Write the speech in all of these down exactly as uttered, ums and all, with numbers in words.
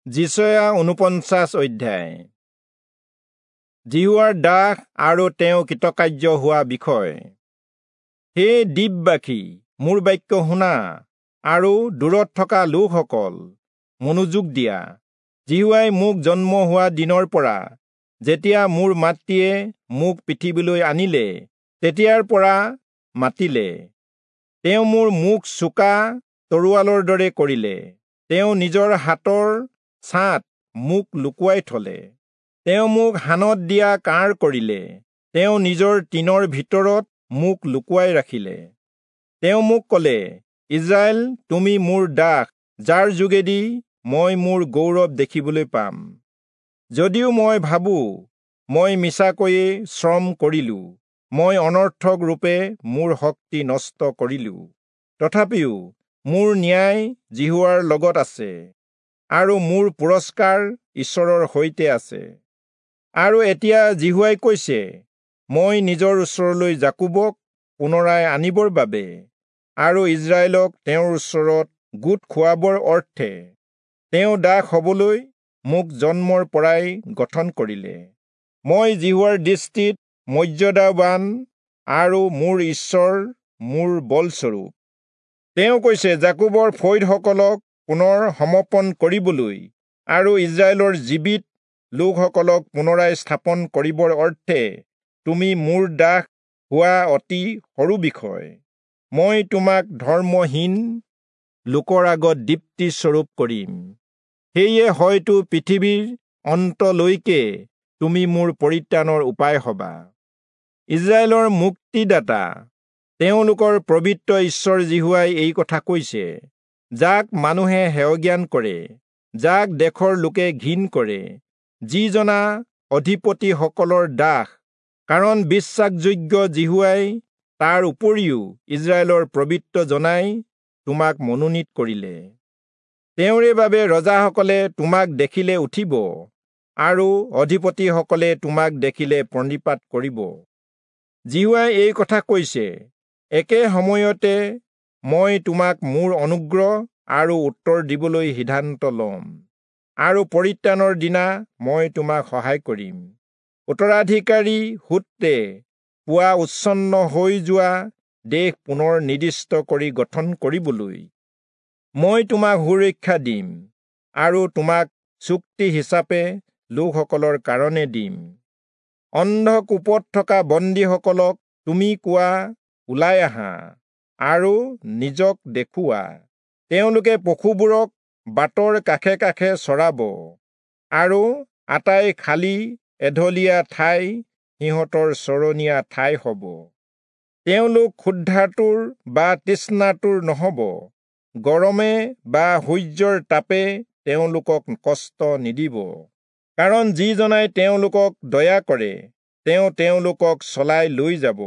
যিচয়া ঊনপঞ্চাশ অধ্যায়। যিহোৱাৰ দাস আৰু তেওঁ কৃতকাৰ্য হোৱা বিষয়। হে দ্বীপবাসী, মোৰ বাক্য শুনা, আৰু দূৰত থকা লোকসকল মনোযোগ দিয়া। যিহোৱাই মোক জন্ম হোৱা দিনৰ পৰা, যেতিয়া মোৰ মাতৃয়ে মোক পৃথিৱীলৈ আনিলে, তেতিয়াৰ পৰা মাতিলে। তেওঁ মোৰ মুখ চোকা তৰোৱালৰ দৰে কৰিলে। তেওঁ নিজৰ হাতৰ ছাঁত মোক লুকুৱাই থলে। তেওঁ মোক হানত দিয়া কাঁড় কৰিলে। তেওঁ নিজৰ টিনৰ ভিতৰত মোক লুকুৱাই ৰাখিলে। তেওঁ মোক ক'লে, ইজৰাইল, তুমি মোৰ দাস, যাৰ যোগেদি মই মোৰ গৌৰৱ দেখিবলৈ পাম। যদিও মই ভাবো মই মিছাকৈয়ে শ্ৰম কৰিলো, মই অনৰ্থক ৰূপে মোৰ শক্তি নষ্ট কৰিলো, তথাপিও মোৰ ন্যায় যিহোৱাৰ লগত আছে, আৰু মোৰ পুৰস্কাৰ ঈশ্বৰৰ সৈতে আছে। আৰু এতিয়া যিহোৱাই কৈছে, মই নিজৰ ওচৰলৈ যাকোবক পুনৰাই আনিবৰ বাবে আৰু ইজৰাইলক তেওঁৰ ওচৰত গোট খুৱাবৰ অৰ্থে তেওঁ দাস হবলৈ মোক জন্মৰ পৰাই গঠন কৰিলে। মই যিহোৱাৰ দৃষ্টিত মৰ্যাদাৱান আৰু মোৰ ঈশ্বৰ মোৰ বলস্বৰূপ। তেওঁ কৈছে, যাকোবৰ ফৈদসকলক পুনৰ সমৰ্পণ কৰিবলৈ আৰু ইজৰাইলৰ জীৱিত লোকসকলক পুনৰাই স্থাপন কৰিবৰ অৰ্থে তুমি মোৰ দাস হোৱা অতি সৰু বিষয়। মই তোমাক ধৰ্মহীন লোকৰ আগত দীপ্তিস্বৰূপ কৰিম, সেয়ে হয়তো পৃথিৱীৰ অন্তলৈকে তুমি মোৰ পৰিত্ৰাণৰ উপায় হবা। ইজৰাইলৰ মুক্তিদাতা, তেওঁলোকৰ পবিত্ৰ ঈশ্বৰ যিহোৱাই এই কথা কৈছে, যাক মানুহে হেয়জ্ঞান কৰে, যাক দেশৰ লোকে ঘিণ কৰে, যিজনা অধিপতিসকলৰ দাস, কাৰণ বিশ্বাসযোগ্য যিহোৱাই তাৰ উপৰিও ইজৰাইলৰ পবিত্ৰ জনাই তোমাক মনোনীত কৰিলে। তেওঁৰে বাবে ৰজাসকলে তোমাক দেখিলে উঠিব, আৰু অধিপতিসকলে তোমাক দেখিলে প্ৰণিপাত কৰিব। যিহোৱাই এই কথা কৈছে, একে সময়তে মই তোমাক মোৰ অনুগ্ৰহ আৰু উত্তৰ দিবলৈ সিদ্ধান্ত ল'ম, আৰু পৰিত্ৰাণৰ দিনা মই তোমাক সহায় কৰিম। উত্তৰাধিকাৰী সূত্ৰে পোৱা উচ্ছন্ন হৈ যোৱা দেশ পুনৰ নিৰ্দিষ্ট কৰি গঠন কৰিবলৈ মই তোমাক সুৰক্ষা দিম, আৰু তোমাক চুক্তি হিচাপে লোকসকলৰ কাৰণে দিম। অন্ধকূপত থকা বন্দীসকলক তুমি কোৱা, ওলাই আহা আৰু নিজক দেখুওৱা। তেওঁলোকে পশুবোৰক বাটৰ কাষে কাষে চৰাব, আৰু আটাই খালী এঢলীয়া ঠাই সিহঁতৰ চৰণীয়া ঠাই হ'ব। তেওঁলোক ক্ষুধাতুৰ বা তৃষ্ণাতুৰ নহ'ব, গৰমে বা সূৰ্যৰ তাপে তেওঁলোকক কষ্ট নিদিব, কাৰণ যিজনাই তেওঁলোকক দয়া কৰে তেওঁ তেওঁলোকক চলাই লৈ যাব,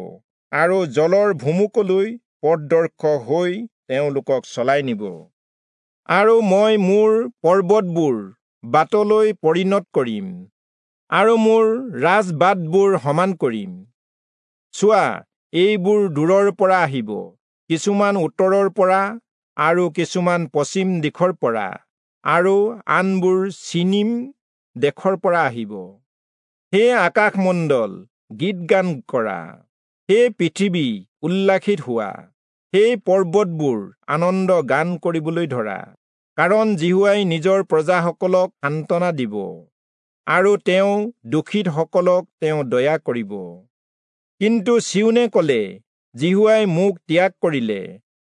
আৰু জলৰ ভুমুকলৈ পথদৰ্শক হৈ তেওঁলোকক চলাই নিব। আৰু মই মোৰ পৰ্বতবোৰ বাটলৈ পৰিণত কৰিম, আৰু মোৰ ৰাজবাটবোৰ সমান কৰিম। চোৱা, এইবোৰ দূৰৰ পৰা আহিব, কিছুমান উত্তৰৰ পৰা আৰু কিছুমান পশ্চিম দিশৰ পৰা, আৰু আনবোৰ চিনিম দেশৰ পৰা আহিব। হে আকাশমণ্ডল, গীত গান কৰা; হে পৃথিৱী, উল্লাসিত হোৱা; হে পৰ্বতবোৰ, আনন্দ গান কৰিবলৈ ধৰা, কাৰণ যিহোৱাই নিজৰ প্ৰজাসকলক সান্তনা দিব, আৰু তেওঁ দুখিতসকলক তেওঁ দয়া কৰিব। কিন্তু চিয়োনে ক'লে, যিহোৱাই মোক ত্যাগ কৰিলে,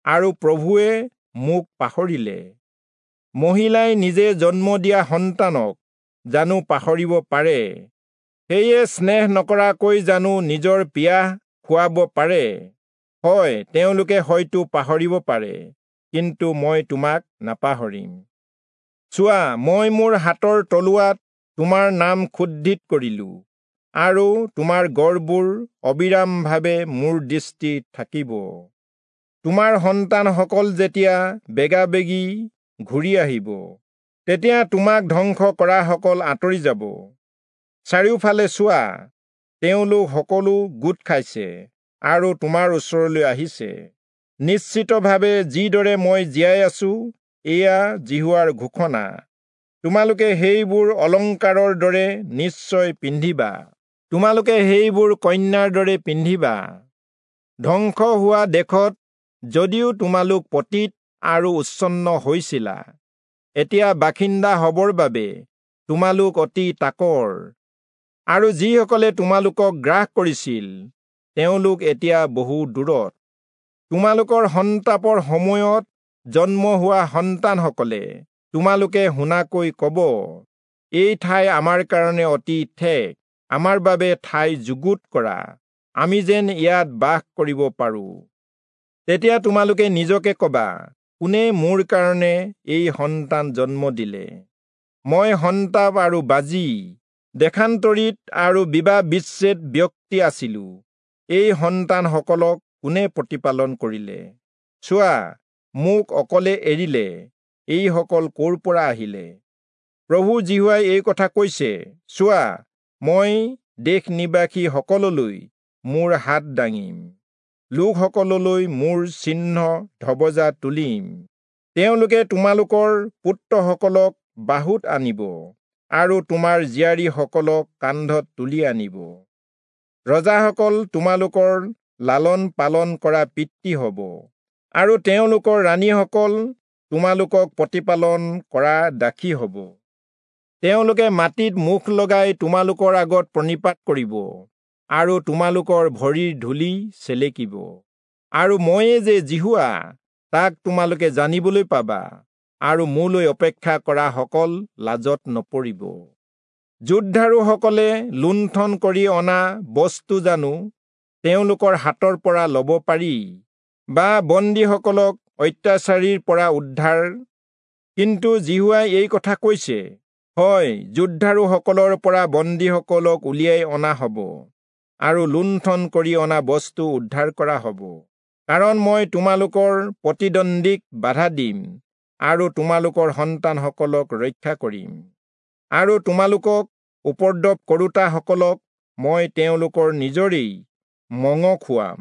আৰু প্ৰভুৱে মোক পাহৰিলে। মহিলাই নিজে জন্ম দিয়া সন্তানক জানো পাহৰিব পাৰে? সেয়ে স্নেহ নকৰাকৈ জানো নিজৰ পিয়াহ খুৱাব পাৰে? হয়, তেওঁলোকে হয়তো পাহৰিব পাৰে, কিন্তু মই তোমাক নাপাহৰিম। চোৱা, মই মোৰ হাতৰ তলুৱাত তোমাৰ নাম খোদিত কৰিলো, আৰু তোমাৰ গড়বোৰ অবিৰামভাৱে মোৰ দৃষ্টিত থাকিব। তোমাৰ সন্তানসকল যেতিয়া বেগাবেগি ঘূৰি আহিব, তেতিয়া তোমাক ধ্বংস কৰাসকল আঁতৰি যাব। চাৰিওফালে চোৱা, তেওঁলোক সকলো গোট খাইছে আৰু তোমাৰ ওচৰলৈ আহিছে। নিশ্চিতভাৱে যিদৰে মই জীয়াই আছো, এয়া যিহোৱাৰ ঘোষণা, তোমালোকে সেইবোৰ অলংকাৰৰ দৰে নিশ্চয় পিন্ধিবা, তোমালোকে সেইবোৰ কন্যাৰ দৰে পিন্ধিবা। ধ্বংস হোৱা দেশত যদিও তোমালোক পতিত আৰু উচ্ছন্ন হৈছিলা, এতিয়া বাসিন্দা হবৰ বাবে তোমালোক অতি তাকৰ, আৰু যিসকলে তোমালোকক গ্ৰাস কৰিছিল তেওঁলোক এতিয়া বহু দূৰত। তোমালোকৰ সন্তাপৰ সময়ত জন্ম হোৱা সন্তানসকলে তোমালোকে শুনাকৈ কব, এই ঠাই আমাৰ কাৰণে অতি ঠেক, আমাৰ বাবে ঠাই যুগুত কৰা, আমি যেন ইয়াত বাস কৰিব পাৰোঁ। তেতিয়া তোমালোকে নিজকে কবা, কোনে মোৰ কাৰণে এই সন্তান জন্ম দিলে? মই সন্তাপ আৰু বাজি, দেশান্তৰিত আৰু বিবাহ বিচ্ছেদ ব্যক্তি আছিলো। এই সন্তানসকলক কোনে প্ৰতিপালন কৰিলে? চোৱা, মোক অকলে এৰিলে, এইসকল ক'ৰ পৰা আহিলে? প্ৰভু যিহোৱাই এই কথা কৈছে, চোৱা, মই দেশ নিবাসীসকললৈ মোৰ হাত দাঙিম, লোকসকললৈ মোৰ চিহ্ন ধবজা তুলিম। তেওঁলোকে তোমালোকৰ পুত্ৰসকলক বাহুত আনিব আৰু তোমাৰ জীয়াৰীসকলক কান্ধত তুলি আনিব। ৰজাসকল তোমালোকৰ লালন পালন কৰা পিতৃ হ'ব, আৰু তেওঁলোকৰ ৰাণীসকল তোমালোকক প্ৰতিপালন কৰা দাসী হ'ব। তেওঁলোকে মাটিত মুখ লগাই তোমালোকৰ আগত প্ৰণিপাত কৰিব আৰু তোমালোকৰ ভৰিৰ ধূলি চেলেকিব। আৰু ময়ে যে যিহোৱা, তাক তোমালোকে জানিবলৈ পাবা, আৰু মোলৈ অপেক্ষা কৰাসকল লাজত নপৰিব। যোদ্ধাৰুসকলে লুণ্ঠন কৰি অনা বস্তু জানো তেওঁলোকৰ হাতৰ পৰা ল'ব পাৰি, বা বন্দীসকলক অত্যাচাৰীৰ পৰা উদ্ধাৰ? কিন্তু যিহোৱাই এই কথা কৈছে, হয়, যোদ্ধাৰুসকলৰ পৰা বন্দীসকলক উলিয়াই অনা হ'ব, আৰু লুণ্ঠন কৰি অনা বস্তু উদ্ধাৰ কৰা হ'ব। কাৰণ মই তোমালোকৰ প্ৰতিদ্বন্দ্বীক বাধা দিম, আৰু তোমালোকৰ সন্তানসকলক ৰক্ষা কৰিম, আৰু তোমালোকক উপদ্ৰৱ কৰোঁতাসকলক মই তেওঁলোকৰ নিজৰেই মঙহ খুৱাম,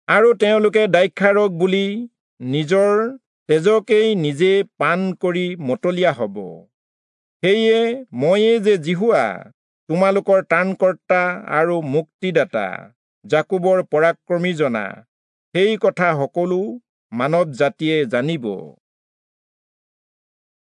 আৰু তেওঁলোকে দ্ৰাক্ষাৰস বুলি নিজৰ তেজকেই নিজে পান কৰি মতলীয়া হ'ব। সেয়ে ময়ে যে যিহোৱা, তোমালোকৰ ত্ৰাণকৰ্তা আৰু মুক্তিদাতা, যাকোবৰ পৰাক্ৰমীজনা, সেই কথা সকলো মানৱ জাতিয়ে জানিব।